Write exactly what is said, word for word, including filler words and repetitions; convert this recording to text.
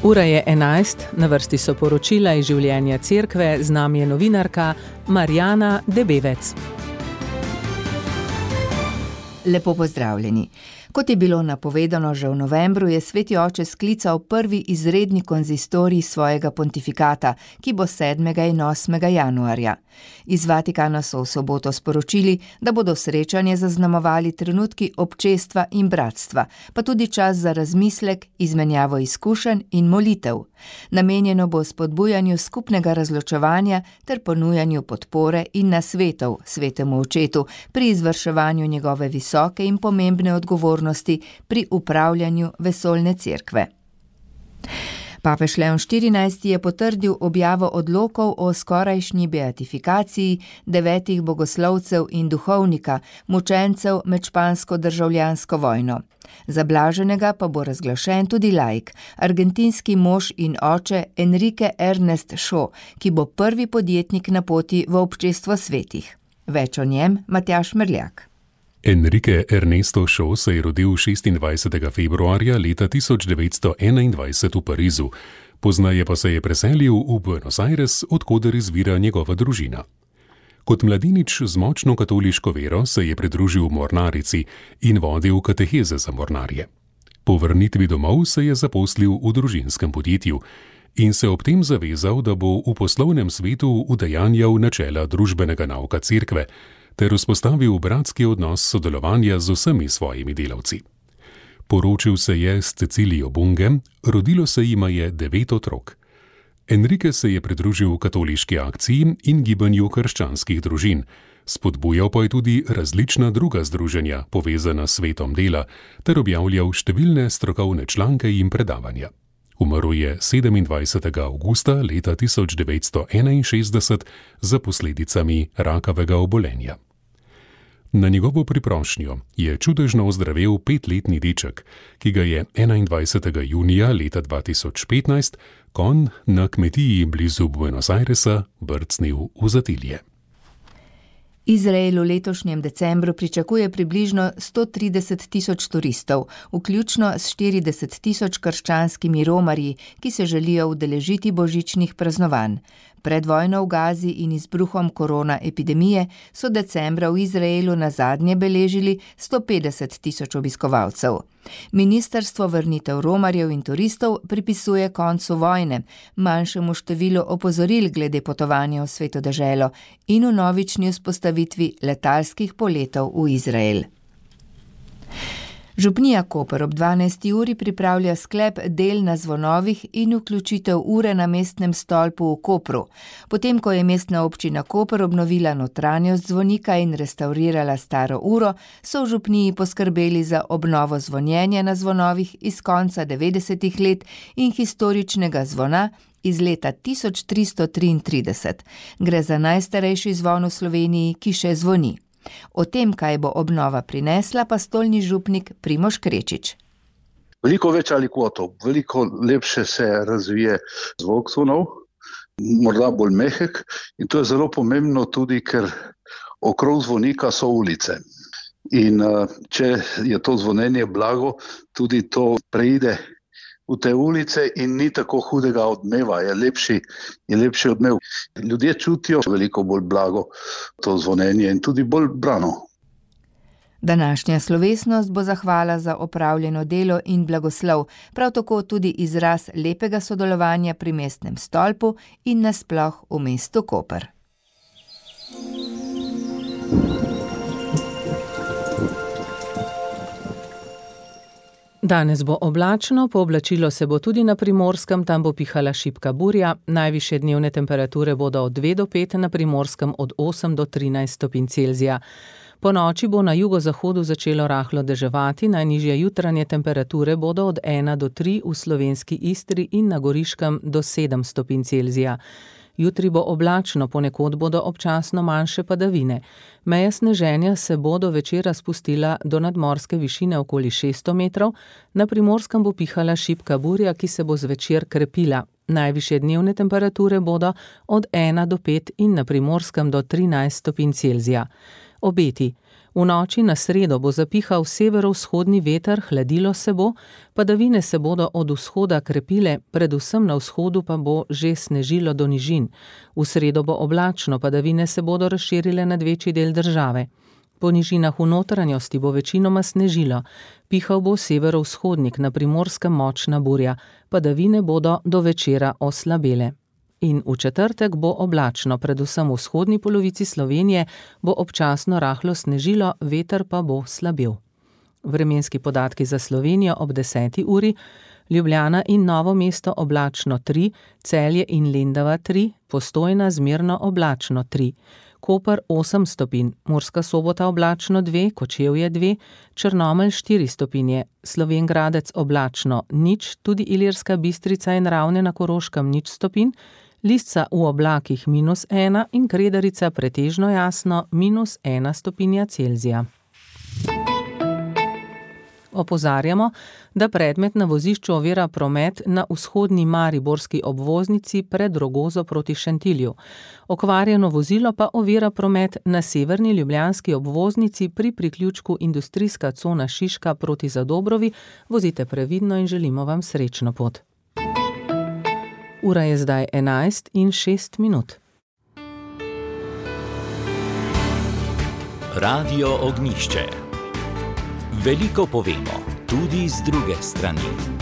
Ura je enajst, na vrsti so poročila iz življenja cerkve, z nami je novinarka Marjana Debevec. Lepo pozdravljeni. Kot je bilo napovedano že v novembru, je Sveti oče sklical prvi izredni konzistorij svojega pontifikata, ki bo sedmega in osmega januarja. Iz Vatikana so v soboto sporočili, da bodo srečanje zaznamovali trenutki občestva in bratstva, pa tudi čas za razmislek, izmenjavo izkušenj in molitev. Namenjeno bo spodbujanju skupnega razločevanja ter ponujanju podpore in nasvetov Svetemu očetu pri izvrševanju njegove visoke in pomembne odgovornosti pri upravljanju vesoljne cerkve. Papež Leon štirinajsti je potrdil objavo odlokov o skorajšnji beatifikaciji devetih bogoslovcev in duhovnika, mučencev med špansko državljansko vojno. Za blaženega pa bo razglašen tudi laik, argentinski mož in oče Enrique Ernest Shaw, ki bo prvi podjetnik na poti v občestvo svetih. Več o njem Matjaž Merljak. Enrique Ernesto Shaw se je rodil šestindvajsetega februarja leta tisoč devetsto enaindvajset v Parizu, poznaje pa se je preselil v Buenos Aires, odkoder izvira njegova družina. Kot mladenič z močno katoliško vero se je pridružil mornarici in vodil kateheze za mornarje. Po vrnitvi domov se je zaposlil v družinskem podjetju in se ob tem zavezal, da bo v poslovnem svetu udejanjal načela družbenega nauka cerkve ter vzpostavil bratski odnos sodelovanja z vsemi svojimi delavci. Poročil se je s Cecilijo Bunge, rodilo se jima je devet otrok. Enrique se je pridružil katoliški akciji in gibanju krščanskih družin, spodbujal pa je tudi različna druga združenja, povezana s svetom dela, ter objavljal številne strokovne članke in predavanja. Umrl je sedemindvajsetega avgusta leta tisoč devetsto enainšestdeset za posledicami rakavega obolenja. Na njegovo priprošnjo je čudežno ozdravel petletni deček, ki ga je enaindvajsetega junija leta dva tisoč petnajst konj na kmetiji blizu Buenos Airesa brcnil v zatilje. Izrael v letošnjem decembru pričakuje približno sto trideset tisoč turistov, vključno s štirideset tisoč krščanskimi romarji, ki se želijo udeležiti božičnih praznovanj. Pred vojno v Gazi in izbruhom korona epidemije so decembra v Izraelu nazadnje beležili sto petdeset tisoč obiskovalcev. Ministrstvo vrnitev romarjev in turistov pripisuje koncu vojne, manjšemu številu opozoril glede potovanja v sveto deželo in vnovični vzpostavitvi letalskih poletov v Izrael. Župnija Koper ob dvanajsti uri pripravlja sklep del na zvonovih in vključitev ure na mestnem stolpu v Kopru. Potem, ko je mestna občina Koper obnovila notranjost zvonika in restavrirala staro uro, so v župniji poskrbeli za obnovo zvonjenja na zvonovih iz konca devetdesetih let in historičnega zvona iz leta tisoč tristo triintrideset. Gre za najstarejši zvon v Sloveniji, ki še zvoni. O tem, kaj bo obnova prinesla, pa stolni župnik Primož Krečič. Veliko več alikvotov, veliko lepše se razvije zvok zvonov, morda bolj mehek, in to je zelo pomembno tudi, ker okrog zvonika so ulice. In če je to zvonjenje blago, tudi to preide v te ulice in ni tako hudega odmeva, je lepši, je lepši odmev. Ljudje čutijo veliko bolj blago to zvonjenje in tudi bolj brano. Današnja slovesnost bo zahvala za opravljeno delo in blagoslov, prav tako tudi izraz lepega sodelovanja pri mestnem stolpu in nasploh v mestu Koper. Danes bo oblačno, pooblačilo se bo tudi na Primorskem, tam bo pihala šibka burja, najvišje dnevne temperature bodo od dve do pet, na Primorskem od osem do trinajst stopinj Celzija. Po noči bo na jugozahodu začelo rahlo deževati, najnižje jutranje temperature bodo od ena do tri v slovenski Istri in na Goriškem do sedem stopinj Celzija. Jutri bo oblačno, ponekod bodo občasno manjše padavine. Meja sneženja se bo do večera spustila do nadmorske višine okoli šeststo metrov, na Primorskem bo pihala šibka burja, ki se bo zvečer krepila. Najvišje dnevne temperature bodo od ena do pet in na Primorskem do trinajst stopinj Celzija. Obeti. V noči na sredo bo zapihal severovzhodni veter, hladilo se bo, padavine se bodo od vzhoda krepile, predvsem na vzhodu pa bo že snežilo do nižin. V sredo bo oblačno, padavine se bodo razširile nad večji del države. Po nižinah v notranjosti bo večinoma snežilo, pihal bo severovzhodnik, na Primorskem močna burja, padavine bodo do večera oslabele. In v četrtek bo oblačno, predvsem v vzhodni polovici Slovenije bo občasno rahlo snežilo, veter pa bo slabil. Vremenski podatki za Slovenijo ob deseti uri: Ljubljana in Novo mesto oblačno tri, Celje in Lendava tri, Postojna zmerno oblačno tri, Koper osem stopinj, Murska Sobota oblačno dve, Kočevje dve, Črnomelj štiri stopinje, Slovenj Gradec oblačno nič, tudi Ilirska Bistrica in Ravne na Koroškem nič stopinj, Lisca v oblakih minus ena in Kredarica pretežno jasno minus ena stopinja Celzija. Opozarjamo, da predmet na vozišču ovira promet na vzhodni mariborski obvoznici pred Rogozo proti Šentilju. Okvarjeno vozilo pa ovira promet na severni ljubljanski obvoznici pri priključku industrijska cona Šiška proti Zadobrovi. Vozite previdno in želimo vam srečno pot. Ura je zdaj enajst in šest minut. Radio Ognjišče. Veliko povemo, tudi z druge strani.